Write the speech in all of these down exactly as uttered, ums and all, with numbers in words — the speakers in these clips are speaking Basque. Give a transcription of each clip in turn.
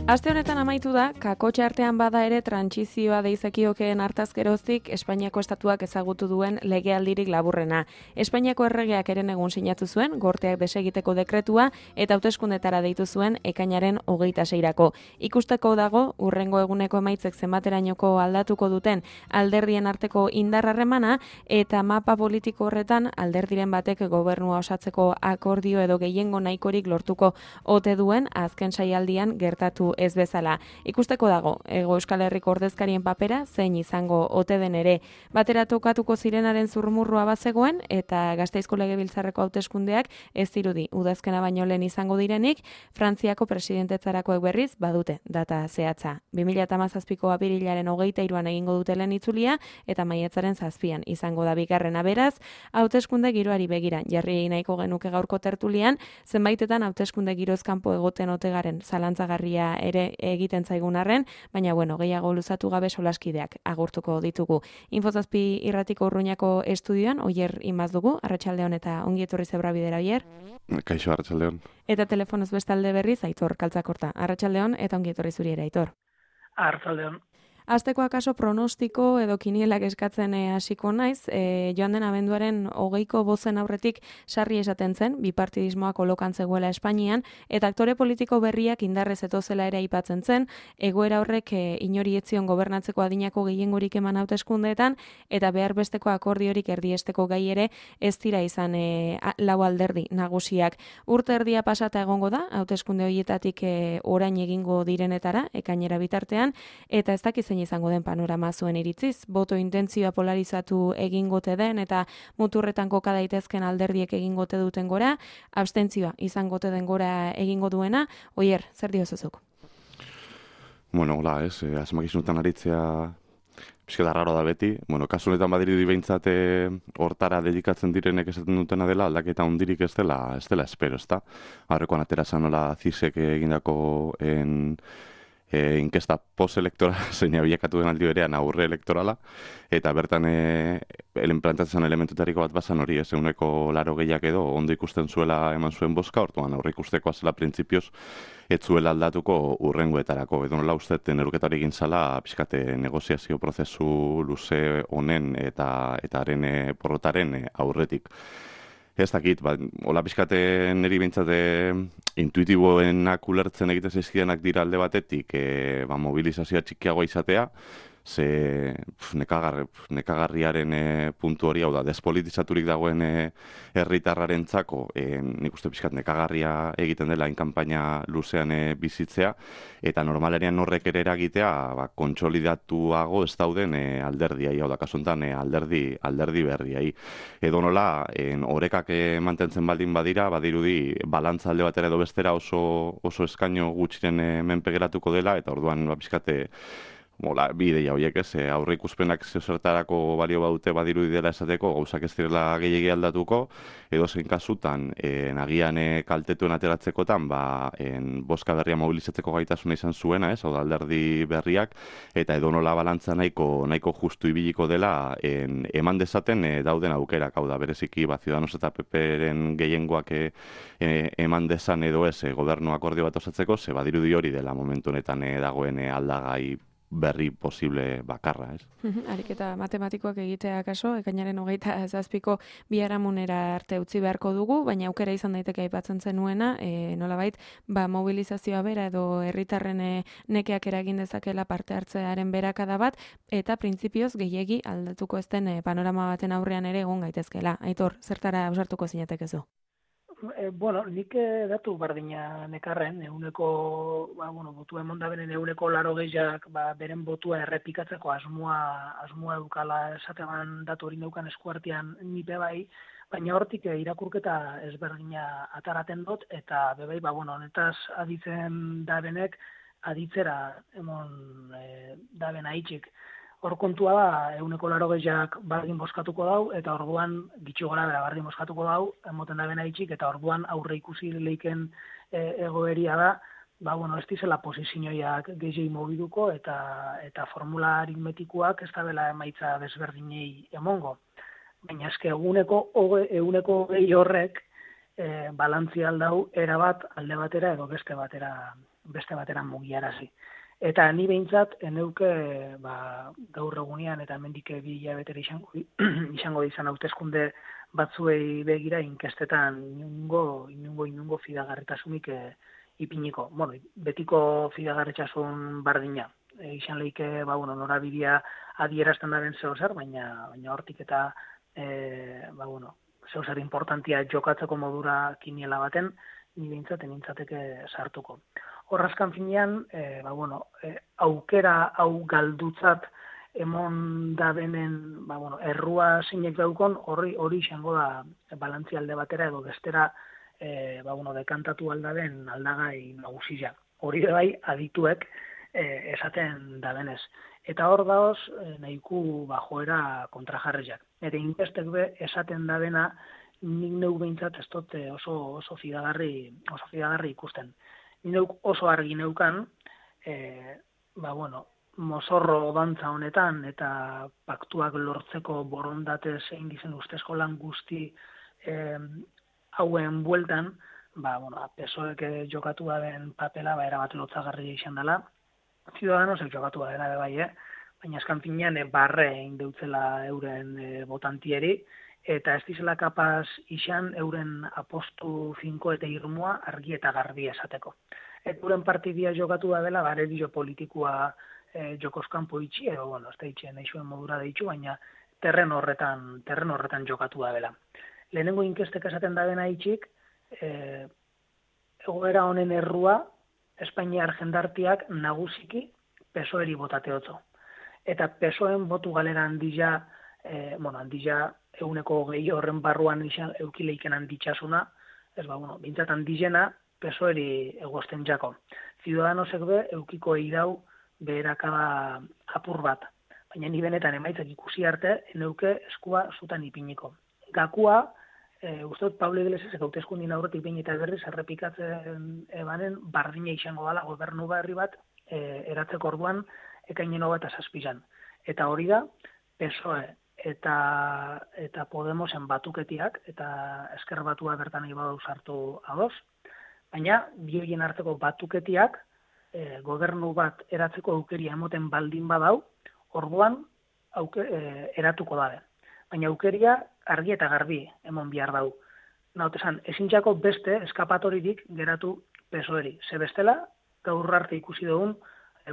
Aste honetan amaitu da, kakotxe artean bada ere trantsizioa deizekiokeen hartaz geroztik Espainiako estatuak ezagutu duen legealdirik laburrena. Espainiako erregeak eren egun sinatu zuen, gorteak desegiteko dekretua eta hauteskundetara deitu zuen ekainaren hogeita seirako. Ikusteko dago, urrengo eguneko emaitzek zenbaterainoko aldatuko duten alderdien arteko indarrarremana eta mapa politiko horretan alderdiren batek gobernua osatzeko akordio edo gehiengo nahikorik lortuko ote duen azken saialdian gertatu ez bezala. Ikusteko dago, Hego Euskal Herriko ordezkarien papera zein izango ote den ere. Batera tokatuko zirenaren zurmurrua bazegoen eta Gasteizko Legebiltzarreko hauteskundeak ez dirudi udazkena baino lehen izango direnik, Frantziako presidentetzarakoek berriz badute data zehatza. bi mila hamazazpiko apirilaren hogeita hiruan egingo dute lehen itzulia eta maiatzaren zazpian izango da bigarrena. Beraz, hauteskunde giroari begira jarri nahiko genuke gaurko tertulian, zenbaitetan hauteskunde giroz kanpo egoten ote garen zalantzagarria ere egiten zaigun arren, baina bueno, gehiago luzatu gabe solaskideak agurtuko ditugu. Infozazpi irratiko Urruñako estudioan, Oier Imaz dugu, Arratsaldeon eta ongi etorri Zebra Bidera, Oier. Kaixo, Arratsaldeon. Eta telefonoz bestalde berriz, Aitor Kaltzakorta. Arratsaldeon eta ongi etorri zuri ere, Aitor. Arratsaldeon. Azteko akaso pronostiko edo kinielak eskatzen e, hasiko naiz, e, joan den abenduaren hogeiko bozen aurretik sarri esaten zen, bipartidismoa kolokan zegoela Espainian, eta aktore politiko berriak indarrez etozela ere aipatzen zen, egoera horrek e, inori etzion gobernatzeko adinako gehiengorik eman hauteskundeetan, eta behar besteko akordiorik erdiesteko gai ere ez dira izan e, lau alderdi nagusiak. Urte erdia pasata egongo da, hauteskunde horietatik e, orain egingo direnetara, ekainera bitartean, eta ez dakizen izango den panorama zuen iritziz, boto intentzioa polarizatu egingote den eta muturretan koka daitezken alderdiek egingote duten gora, abstentzioa izangote den gora egingo duena. Oier, zer diozuzuk? Bueno, hola, ez, eh, asmakizunetan aritzea pixka raro da beti. Bueno, kasu honetan badirudi behintzat hortara dedikatzen direnek esaten dutena dela, aldaketa hundirik ez dela, ez dela espero, ezta? Aurrekoan atera zanola zisek egindako en E, inkesta post-elektorala zein abiakatu den aldi berean aurre elektorala, eta bertan e, plantatzen elementutariko bat bazan hori, ez eguneko laro gehiak edo ondo ikusten zuela eman zuen boska, orduan aurre ikustekoa zela printzipioz ez zuela aldatuko urrengoetarako. Edo nola uste neruketari egin zala pixkate negoziazio prozesu luze honen eta eta haren e, porrotaren e, aurretik. Ez dakit, ba, hola pixkate niri bintzate intuitiboenak ulertzen egiten zaizkidenak dira alde batetik, e, ba, mobilizazioa txikiagoa izatea, ze pf, nekagar, nekagarriaren e, puntu hori, hau da, despolitizaturik dagoen e, herritarraren txako, e, nik uste pixkat nekagarria egiten dela inkampaina luzean e, bizitzea, eta normalerian horrek ere eragitea, ba, kontsolidatuago ez dauden e, alderdiai, hau da, kasuntan e, alderdi, alderdi berriai. Edo nola, en, orekak e, mantentzen baldin badira, badirudi, balantza alde batera edo bestera oso, oso eskaino gutxiren e, menpe geratuko dela, eta orduan, ba, pixkate, Mola, bi ideia horiek ez, aurre ikuspenak zertarako balio badute badirudi dela esateko, gauzak ez direla gehiegi aldatuko, edo zein kasutan, e, nagian e, kaltetuen ateratzekotan, ba, en, boska berria mobilizatzeko gaitasuna izan zuena, ez, hau da alderdi berriak, eta edo nola balantza nahiko, nahiko justu ibiliko dela, en, eman dezaten e, dauden aukerak, hau da, bereziki, ba, Ciudadanos eta P P-ren gehiengoak e, e, eman dezan edo ez, e, gobernu akordio bat osatzeko, ze badirudi hori dela momentu honetan e, dagoen e, aldagai berri posible bakarra, ez? Ariketa matematikoak egitea kaso, ekainaren hogeita zazpiko biharamunera arte utzi beharko dugu, baina aukera izan daiteke aipatzen zenuena, e, nolabait, ba, mobilizazioa bera edo herritarren e, nekeak eragin dezakela parte hartzearen berakada bat, eta printzipioz gehiegi aldatuko ez den e, panorama baten aurrean ere egon gaitezkela. Aitor, zertara ausartuko zinatekezu? E, bueno, nik e, datu bardina nekarren, eguneko, ba, bueno, botu emonda benen eguneko laro gehiak, ba, beren botua errepikatzeko asmoa, asmoa edukala esatean datu hori neukan eskuartian nipe bai, baina hortik e, irakurketa ezberdina ataraten dut, eta bebai, ba, bueno, honetaz aditzen dabenek, aditzera emon e, daben haitxik. Hor kontua da, eguneko laro gehiak bardin boskatuko dau, eta orduan gitxo gara bera bardin boskatuko dau, emoten da bena itxik, eta orduan aurre ikusi leiken e, egoeria da, ba, bueno, ez dizela posizioiak gehiagi mobiduko, eta eta formula aritmetikoak ez da bela emaitza desberdinei emongo. Baina eske eguneko eguneko gehi horrek, e, balantzia aldau erabat alde batera edo beste batera beste batera mugiarazi. Eta ni behintzat eneuke ba, gaur egunean eta hemendik bi hilabetera izango izango izan hauteskunde batzuei begira inkestetan inungo inungo inungo fidagarritasunik e, ipiniko. Bueno, betiko fidagarritasun bardina. E, izan leike ba bueno, norabidea adierazten daren zeo zer, baina baina hortik eta e, ba bueno, zeo zer importantia jokatzeko modura kiniela baten ni behintzat enintzateke sartuko. Horrazkan finean, e, ba, bueno, e, aukera hau galdutzat emon da benen, ba, bueno, errua zeinek daukon, hori hori izango da balantzi alde batera edo bestera e, ba, bueno, dekantatu aldaben aldagai nagusia. Hori bai adituek e, esaten da benez. Eta hor daoz e, nahiku ba, joera kontrajarriak. Eta inkestek be esaten da bena nik neu behintzat ez dut oso, oso fidagarri, oso fidagarri ikusten. Neuk oso argi neukan, e, ba, bueno, mozorro dantza honetan eta paktuak lortzeko borondate zein dizen ustezko lan guzti e, hauen bueltan, ba, bueno, P S O E jokatu den papela ba, erabat lotzagarria izan dela, Ciudadanosek jokatu dela bai, eh? Baina eskan finean e, barre egin deutzela euren e, botantieri, eta ez dizela kapaz izan euren apostu finko eta irmoa argi eta garbi esateko. Eta euren partidia jokatu da dela, bare dio politikoa e, jokoskan poitxi, edo, bueno, ez da itxen eixuen modura deitxu, baina terren horretan, terren horretan jokatu da dela. Lehenengo inkestek esaten da dena itxik, e, egoera honen errua, Espainiar jendartiak nagusiki P S O E-ri botateotzo. Eta P S O E-en botu galera handila, e, bueno, handila eguneko gehi horren barruan izan eukileiken handitxasuna, ez ba, bueno, bintzat handizena P S O E-ri egosten jako. Ciudadanosek be, eukiko eidau beherakada apur bat. Baina ni benetan emaitzak ikusi arte, eneuke eskua zutan ipiniko. Gakua, e, uste dut Pablo Iglesias hauteskundin aurretik behin eta berriz errepikatzen ebanen bardina izango dela gobernu berri bat e, eratzeko orduan ekainen hogeta zazpizan. Eta hori da, P S O E eta eta Podemosen batuketiak eta Ezker Batua bertan nahi badau sartu ados, baina bi horien arteko batuketiak e, gobernu bat eratzeko aukeria emoten baldin badau, orduan auke, e, eratuko dabe. Baina aukeria argi eta garbi emon bihar dau. Nautesan, ezintxako beste eskapatoririk geratu P S O E-ri. Ze bestela, gaur arte ikusi dugun,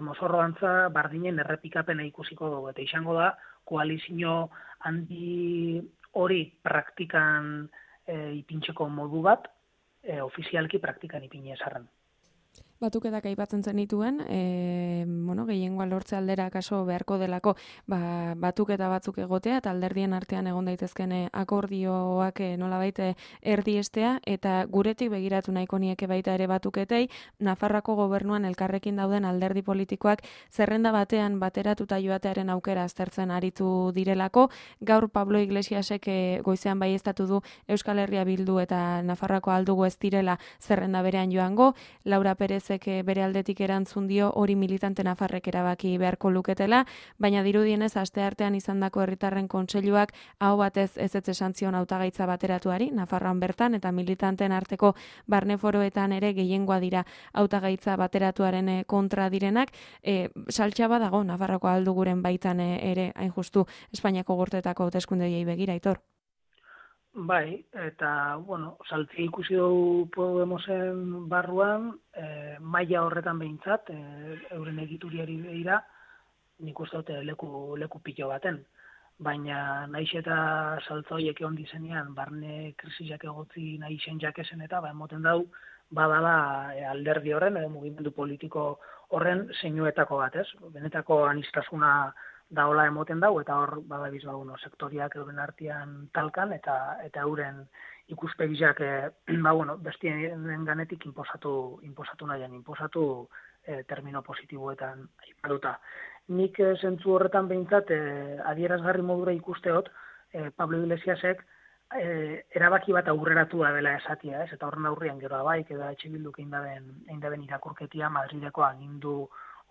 mozorro dantza bardinen errepikapena ikusiko dugu. Eta izango da, koalizio handi hori praktikan e, ipintxeko modu bat, e, ofizialki praktikan ipine esarren. Batuketak aipatzen zenituen, e, bueno, gehiengoa lortze aldera kaso beharko delako ba, batuketa batzuk egotea eta alderdien artean egon daitezken akordioak nolabait erdiestea eta guretik begiratu nahiko nieke baita ere batuketei, Nafarroako gobernuan elkarrekin dauden alderdi politikoak zerrenda batean bateratuta joatearen aukera aztertzen aritu direlako. Gaur Pablo Iglesiasek goizean baieztatu du Euskal Herria Bildu eta Nafarroako aldugu ez direla zerrenda berean joango, Laura Perez bere aldetik erantzun dio hori militante nafarrek erabaki beharko luketela, baina dirudienez asteartean izandako herritarren kontseiluak aho batez ezetz esan zion hautagaitza bateratuari Nafarroan bertan eta militanteen arteko barneforoetan ere gehiengoa dira hautagaitza bateratuaren kontra direnak, e, saltxaba dago Nafarroko alduguren baitan ere hain justu Espainiako gorteetako hauteskundei begira, Aitor. Bai, eta, bueno, saltzi ikusi dugu Podemosen barruan, e, maila horretan behintzat, e, euren egituriari begira, nik uste dute leku, leku pilo baten. Baina naiz eta saltza horiek egon dizenean, barne krisiak egotzi nahi zen jakesen eta, ba, emoten dau, badala e, alderdi horren, edo mugimendu politiko horren zeinuetako bat, ez? Benetako anistasuna daola emoten dau, eta hor badabiz ba, bueno, sektoriak euren artean talkan, eta eta euren ikuspegiak e, ba, bueno, bestien ganetik inposatu, inposatu nahian, inposatu e, termino positiboetan aipatuta. Nik e, zentzu horretan behintzat, e, adierazgarri modura ikusteot, e, Pablo Iglesiasek e, erabaki bat aurreratu da dela esatia, ez? Eta horren aurrian gero abaik, edo etxe bilduk egin daben irakurketia Madrideko agindu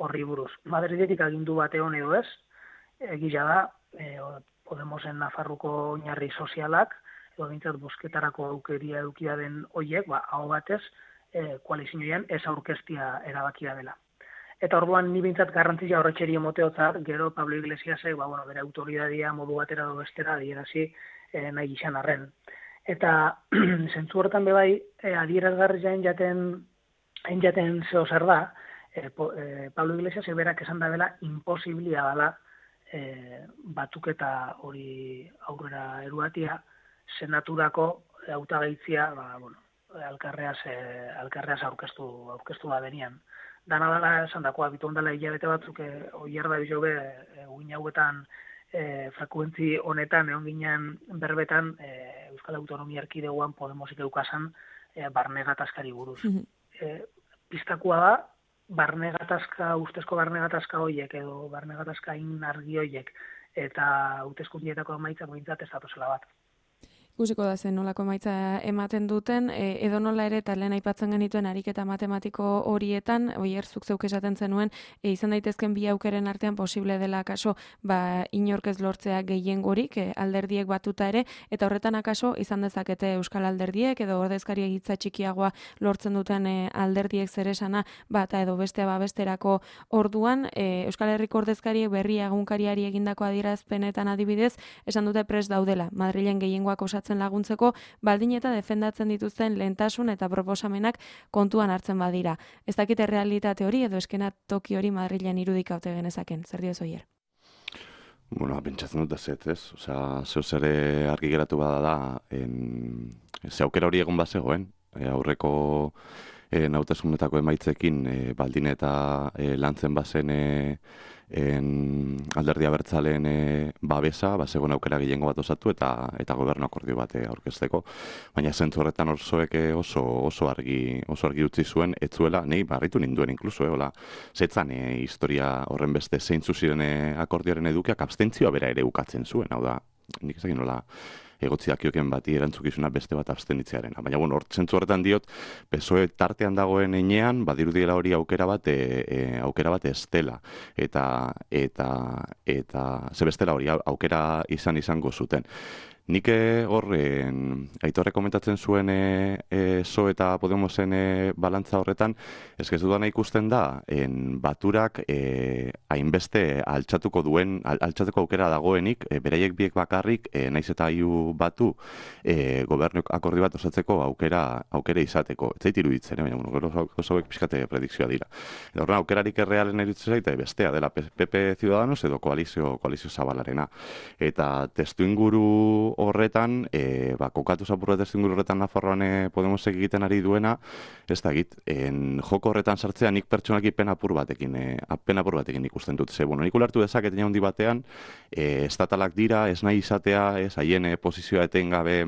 horri buruz. Madridetik agindu bate hon edo ez, egila da, e, Podemosen Nafarroko oinarri sozialak, edo bintzat bosketarako aukeria edukia den hoiek, ba, hau batez, e, koalizioan ez aurkeztia erabakia dela. Eta orduan ni bintzat garrantzia horretxeri emoteotzat, gero Pablo Iglesiasek, ba, bueno, bere autoridadia modu batera edo bestera adierazi e, nahi izan arren. Eta zentzu horretan bebai, e, adierazgarri jaen jaten, hain jaten zeo zer da, e, po, e, Pablo Iglesiasek berak esan da bela imposiblia dela e, batuketa hori aurrera eruatia, senaturako hautagaitzia, ba, bueno, alkarreaz, e, alkarreaz aurkeztu, aurkeztu da benian. Dana dela esan dakoa, bitu ondala hilabete batzuk, e, oier da bizo be, e, uin hauetan, e, frekuentzi honetan, egon ginen berbetan, e, Euskal Autonomia Erkidegoan Podemosik eukasan, e, barne gatazkari buruz. Mm-hmm. e, piztakua da, barne gatazka, ustezko barne gatazka hoiek, edo barne gatazka in argi hoiek, eta hauteskundietako emaitzak behintzat ez datozela bat. Ikusiko da zen nolako emaitza ematen duten, e, edo nola ere, eta lehen aipatzen genituen ariketa matematiko horietan, oier zuk zeuk esaten zenuen, e, izan daitezken bi aukeren artean posible dela akaso, ba, inork ez lortzea gehiengorik, e, alderdiek batuta ere, eta horretan akaso izan dezakete Euskal Alderdiek, edo ordezkari egitza txikiagoa lortzen duten e, alderdiek zeresana, bata edo bestea babesterako orduan, e, Euskal Herriko ordezkariek berri egunkariari egindako adierazpenetan adibidez, esan dute prest daudela, Madrilen gehiengoak osatzen laguntzeko, baldin eta defendatzen dituzten lehentasun eta proposamenak kontuan hartzen badira. Ez dakite realitate hori edo eskenatoki hori Madrilen irudikaute genezaken. Zer dioz oier? Bueno, pentsatzen dut da zet, ez? Osea, zeu zere argi geratu bada da, en, ze aukera hori egon bazegoen, e, aurreko e, hauteskundeetako emaitzekin e, baldin eta e, lantzen bazen e, En alderdi abertzaleen e, babesa, ba, zegoen aukera gehiengo bat osatu eta eta gobernu akordio bat aurkezteko. Baina zentzu horretan orsoek oso oso argi oso argi utzi zuen, ez zuela, nei barritu ninduen inkluso, eh, hola, zetzan e, historia horren beste zeintzu ziren e, akordioaren edukiak abstentzioa bera ere ukatzen zuen, hau da, nik ezakin nola egotziak joken bati erantzukizuna beste bat abstenitzearen. Baina, bueno, hor, zentzu horretan diot, P S O E tartean dagoen enean, badirudiela hori aukera bat, e, e, aukera bat ez dela. Eta, eta, eta, ze bestela hori aukera izan izango zuten. Nik horren, Aitorre komentatzen zuen e, e, P S O E eta Podemosen e, balantza horretan, ez ez dudana ikusten da, en baturak e, hainbeste altxatuko duen, al, altxatuko aukera dagoenik, e, beraiek biek bakarrik, e, naiz eta hiu batu, e, gobernu akordi bat osatzeko aukera aukera izateko. Ez zait iruditzen, eh? Baina, bueno, gero hauek pixkate predikzioa dira. Eta horren, aukerarik errealen iruditzen zaite, bestea, dela P P Ciudadanos edo koalizio, koalizio zabalarena. Eta testu inguru horretan, e, ba, kokatu zapurra testu horretan Nafarroan e, Podemosek egiten ari duena, ez da egit, en, joko horretan sartzea nik pertsonaki pen apur batekin, e, pen apur batekin ikusten dut. Ze, bueno, nik ulertu dezaket handi batean, e, estatalak dira, ez nahi izatea, ez haien e, posizioa etengabe,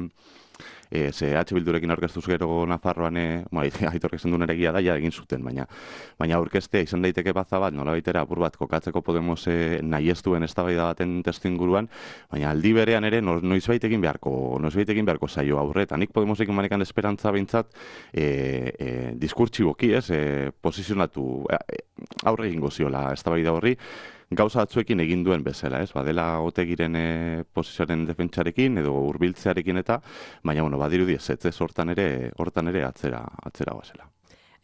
E, ze H Bildurekin aurkeztuz gero Nafarroan, e, ma, Aitorrek esan duen egia da, ja egin zuten, baina baina aurkeztea izan daiteke baza bat, nola baitera apur bat kokatzeko Podemos e, nahi ez duen eztabaida baten testu inguruan, baina aldi berean ere no, noiz baitekin beharko, noiz baitekin beharko zaio aurreta. Nik Podemosekin manekan esperantza behintzat e, e, diskurtsiboki, ez, e, posizionatu e, aurre egingo ziola eztabaida horri, gauza batzuekin egin duen bezala, ez? Badela Otegiren e, posizioaren defentsarekin edo hurbiltzearekin eta, baina bueno, badirudi ez, ez hortan ere, hortan ere atzera, atzera goazela.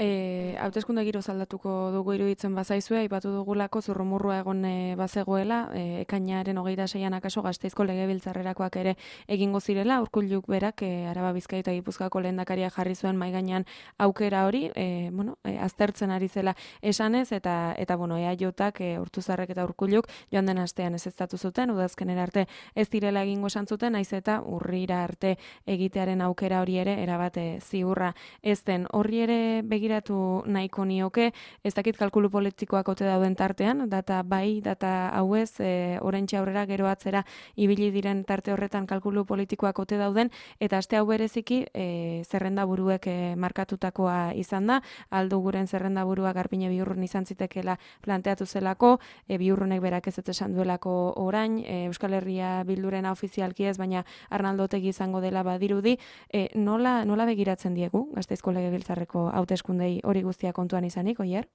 E, hauteskunde giro zaldatuko dugu iruditzen bazaizue, aipatu dugulako zurrumurrua egon e, bazegoela, e, ekainaren hogeita seian akaso Gasteizko legebiltzarrerakoak ere egingo zirela, Urkulluk berak e, Araba Bizkaia eta Gipuzkoako lehendakaria jarri zuen mahai gainean aukera hori, e, bueno, e, aztertzen ari zela esanez, eta eta bueno, EAJak, e, Ortuzarrek eta Urkulluk joan den astean ezeztatu zuten, udazkenera arte ez direla egingo esan zuten, naiz eta urrira arte egitearen aukera hori ere erabate ziurra ez den. Horri ere begira nahiko nioke, ez dakit kalkulu politikoak ote dauden tartean, data bai, data hauez, e, oraintxe aurrera gero atzera ibili diren tarte horretan kalkulu politikoak ote dauden, eta aste hau bereziki e, zerrenda buruek e, markatutakoa izan da, aldu guren zerrenda burua Garpine Biurrun izan zitekela planteatu zelako, e, Biurrunek berak ez esan duelako orain, e, Euskal Herria Bildurena ofizialki ez, baina Arnaldo Otegi izango dela badirudi, e, nola, nola begiratzen diegu Gasteizko Legebiltzarreko hauteskunde hori guztia kontuan izanik, oier?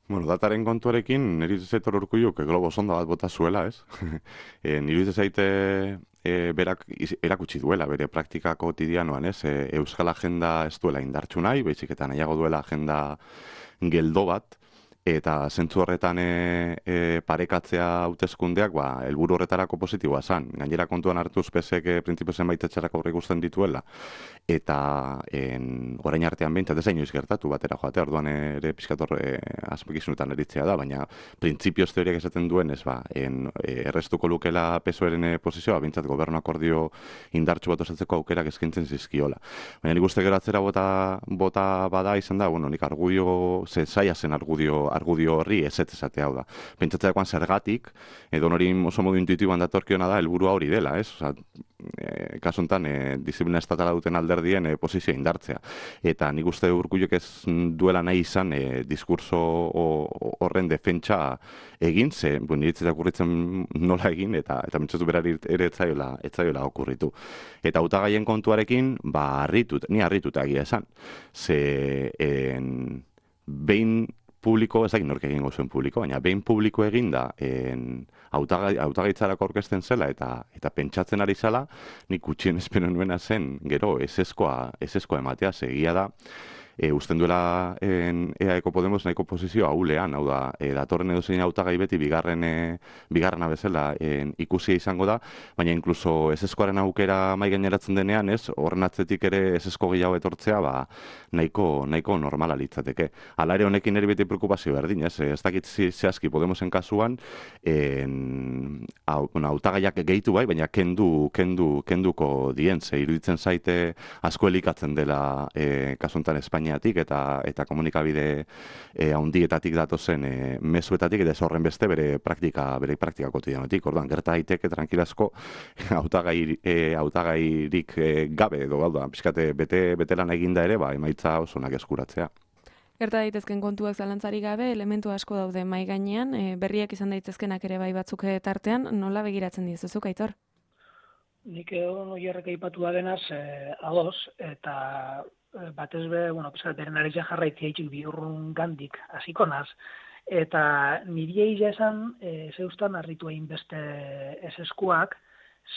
Bueno, dataren kontuarekin, nire zaitor Urkulluk globo sonda bat bota zuela, ez? e, nire zaite e, berak iz- erakutsi duela bere praktika kotidianoan, ez? E, Euskal agenda ez duela indartsu nahi, baizik eta nahiago duela agenda geldo bat, eta zentzu horretan e, e, parekatzea hauteskundeak, ba, helburu horretarako positiboa zan. Gainera kontuan hartuz pesek e, printzipio zenbait etxerako aurreikusten dituela, eta en, orain artean behintzat ez inoiz gertatu batera joatea, orduan ere pixkator e, azpikizunetan eritzea da, baina printzipioz teoriak esaten duen ez ba, en, e, errestuko lukela pesoeren e, posizioa, behintzat gobernu akordio indartsu bat osatzeko aukerak eskaintzen zizkiola. Baina nik uste gero atzera bota, bota bada izan da, bueno, nik argudio, ze zaila zen argudio, argudio horri ez ez esatea hau da. Pentsatzeakoan zergatik, edo hori oso modu intuitiboan datorkiona da, helburua hori dela, ez? Osa, e, kasu honetan, e, disiplina estatala duten alderdien e, posizio indartzea. Eta nik uste Urkulluk ez duela nahi izan e, diskurso horren defentsa egin, ze, bu, niretzat okurritzen nola egin, eta eta mentzatu berari ere etzaiola, etzaiola okurritu. Eta hautagaien kontuarekin, ba, harritut, ni harritut egia esan. Ze, en, behin publiko, ez dakit nork egingo zuen publiko, baina behin publiko eginda hautagaitzarako aurkezten zela eta eta pentsatzen ari zela, nik gutxien espero nuena zen, gero, eseskoa, eseskoa ematea, segia da, e, usten duela en, E A Eko Podemos nahiko posizio ahulean, hau da, e, datorren edo zein hautagai beti bigarren, e, bigarrena bezala en, ikusia izango da, baina inkluso eseskoaren aukera mai gaineratzen denean, ez, horren atzetik ere esesko gehiago etortzea, ba, nahiko, nahiko normala litzateke. Hala ere honekin ere beti preokupazio berdin, ez, ez dakit zehazki Podemosen kasuan, en, hau, bueno, hautagaiak gehitu bai, baina kendu, kendu, kenduko dien, ze iruditzen zaite asko elikatzen dela e, kasuntan Espainiatik eta eta komunikabide e, handietatik datozen e, mezuetatik eta ez horren beste bere praktika, bere praktika kotidianotik. Orduan, gerta daiteke tranquilazko hautagai e, hautagairik e, gabe edo hau da, pixkate bete betelan eginda ere, ba emaitza oso onak eskuratzea. Gerta daitezken kontuak zalantzari gabe, elementu asko daude mai gainean, e, berriak izan daitezkenak ere bai batzuk tartean, nola begiratzen dizuzuk, Aitor? Nik egon oierrek aipatu da denaz, eh, ados, eta eh, batez be, bueno, pesat, beren aritza jarraitzia itxik bihurrun gandik, hasiko naz, eta niri egia esan, eh, zeustan harritu egin beste eseskuak,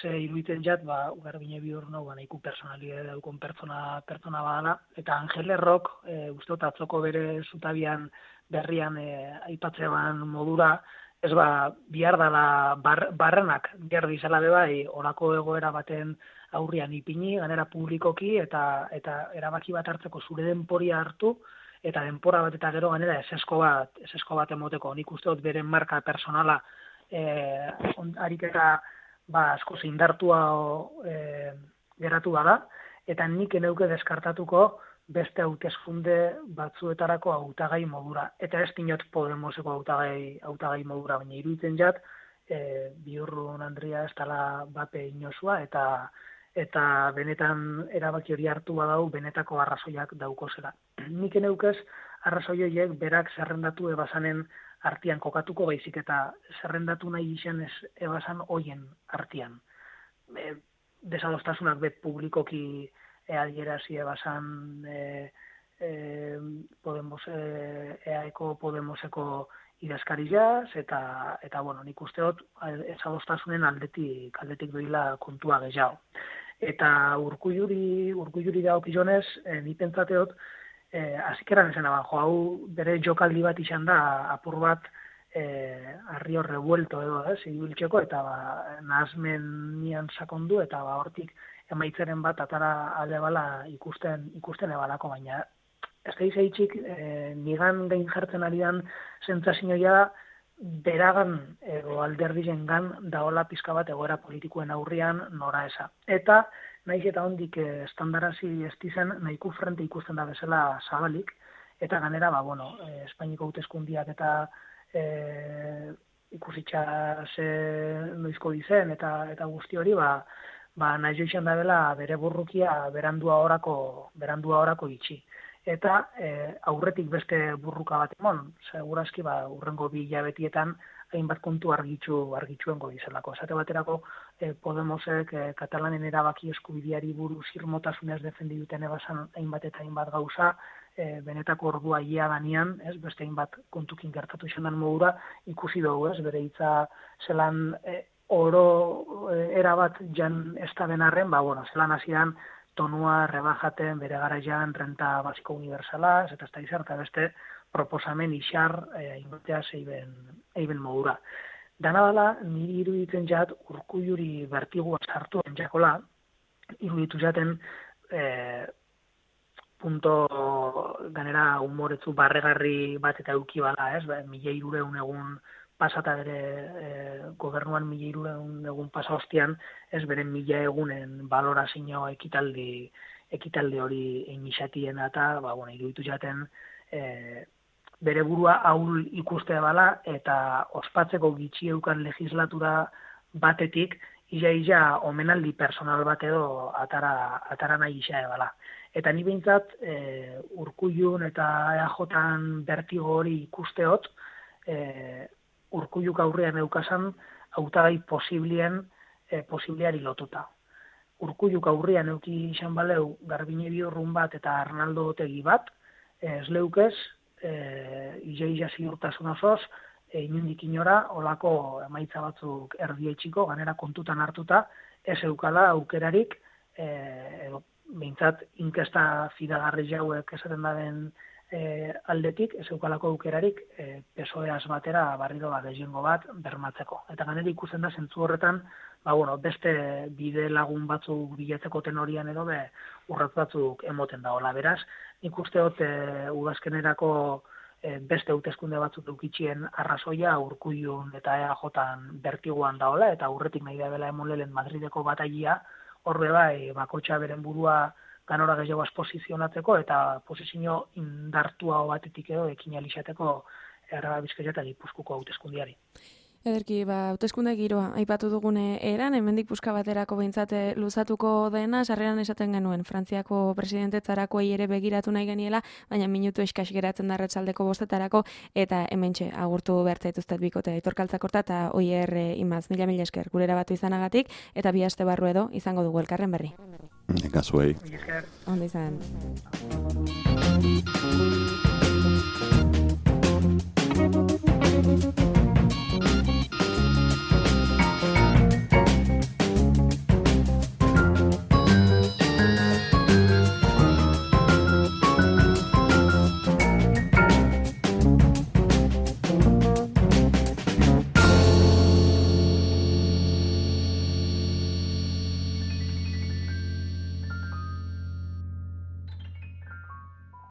ze iruiten jat, ba, ugarbine bihur nau, ba, nahiko personalidade daukon pertsona, pertsona badala, eta Angel Errok, e, uste dut atzoko bere zutabian berrian e, aipatzean modura, ez ba, bihar dala bar, barrenak, bihar dizela bebai, orako egoera baten aurrian ipini, ganera publikoki, eta eta erabaki bat hartzeko zure denporia hartu, eta denpora bat eta gero ganera esesko bat, esesko bat emoteko. Nik uste dut beren marka personala e, ariketa ba, asko zindartua e, geratu bada, eta nik eneuke deskartatuko beste hauteskunde batzuetarako hautagai modura. Eta ez dinot Podemoseko hautagai, hautagai modura, baina iruditzen jat, e, Bihurrun Andria ez dela bape inosua, eta eta benetan erabaki hori hartu badau, benetako arrazoiak dauko zela. Nik eneukez arrazoi horiek berak zerrendatu ebazanen artian kokatuko baizik eta zerrendatu nahi izan ez ebasan hoien artian. E, desadostasunak bet publikoki adierazi ebasan e, e, Podemos, e, eaeko Podemoseko idazkarilaz, eta, eta bueno, nik uste dut desadostasunen aldetik, aldetik doila kontua gehiago. Eta Urkulluri, Urkulluri dagokionez, e, ni pentsateot, Eh, azikeran esan aban, jo, hau bere jokaldi bat izan da, apur bat eh, arrio revuelto edo, ez, ibiltzeko, eta ba, nahazmen nian sakondu, eta ba, hortik emaitzeren bat atara alde bala ikusten, ikusten ebalako, baina ez da izaitxik, eh, nigan gain jartzen ari dan zentzazioa da, beragan edo alderdiren gan daola pizka bat egoera politikoen aurrian nora esa. Eta naiz eta hondik estandarazi estizen nahiko frente ikusten da bezala zabalik, eta ganera, ba, bueno, eh, Espainiko hauteskundiak eta eh, ikusitxa ze noizko dizen, eta eta guzti hori, ba, ba naiz joixen da dela bere burrukia berandua orako, berandua orako itxi. Eta eh, aurretik beste burruka bat emon, segurazki, ba, urrengo bi hilabetietan hainbat kontu argitxu argitxuengo dizelako. Esate baterako eh, Podemosek eh, Katalanen erabaki eskubideari buruz irmotasunez defendi duten ebasan hainbat eta hainbat gauza, eh, benetako ordua ia danean, ez, beste hainbat kontukin gertatu izan den modura, ikusi dugu, ez, bere hitza zelan eh, oro erabat jan ez da benarren, ba, bueno, zelan hasieran tonua rebajaten bere garaian renta basiko universalaz, eta ez da izan, eta beste proposamen isar eh, ingotea zeiben, eiben modura. Dana dela, niri iruditzen jat, Urkulluri bertigua sartu entzakola, iruditu jaten eh, punto ganera humoretzu barregarri bat eta euki bala, ez? Ba, mila hirureun egun pasata bere eh, gobernuan mila hirureun egun pasa hostian, ez beren mila egunen balorazio ekitaldi ekitaldi hori inixatien eta, ba, bueno, iruditu jaten eh, bere burua ahul ikustea bala eta ospatzeko gitxi eukan legislatura batetik ia-ia omenaldi personal bat edo atara, atara nahi isa bala. Eta ni behintzat e, Urkullun eta E A J-an bertigo hori ikusteot, e, Urkulluk aurrean eukasan hautagai posiblien e, posibliari lotuta. Urkulluk aurrean euki izan baleu Garbine Biurrun bat eta Arnaldo Otegi bat, ez leukez, e, ia-ia ziurtasun osoz, e, inundik inora, olako emaitza batzuk erdietxiko, ganera kontutan hartuta, ez eukala aukerarik, e, edo behintzat inkesta fidagarri jauek esaten daren e, aldetik, ez eukalako aukerarik e, P S O E-az batera barriro bat gehiengo bat bermatzeko. Eta ganera ikusten da zentzu horretan, ba, bueno, beste bide lagun batzuk bilatzeko tenorian edo be urratz batzuk emoten dagoela. Beraz, nik usteot e, udazkenerako e, beste hauteskunde batzuk eukitxien arrazoia Urkullun eta E A J-an bertiguan daola, eta aurretik nahi da bela emonlelen Madrideko batailia, horre bai, bakotxa beren burua ganora gehiago posizionatzeko eta posizio indartua batetik edo ekin alixateko Araba Bizkaia eta Gipuzkoako hauteskundiari. Ederki, ba, hauteskunde giroa aipatu dugune eran, hemendik puska baterako behintzate luzatuko dena, sarreran esaten genuen, Frantziako presidentetzarakoei ere begiratu nahi geniela, baina minutu eskas geratzen da arratsaldeko bostetarako, eta hementxe agurtu behar zaituztet bikote Aitor Kaltzakorta eta Oier Imaz, mila mila esker, gurera batu izanagatik, eta bi aste barru edo izango dugu elkarren berri. Eka zuei. Ondo izan.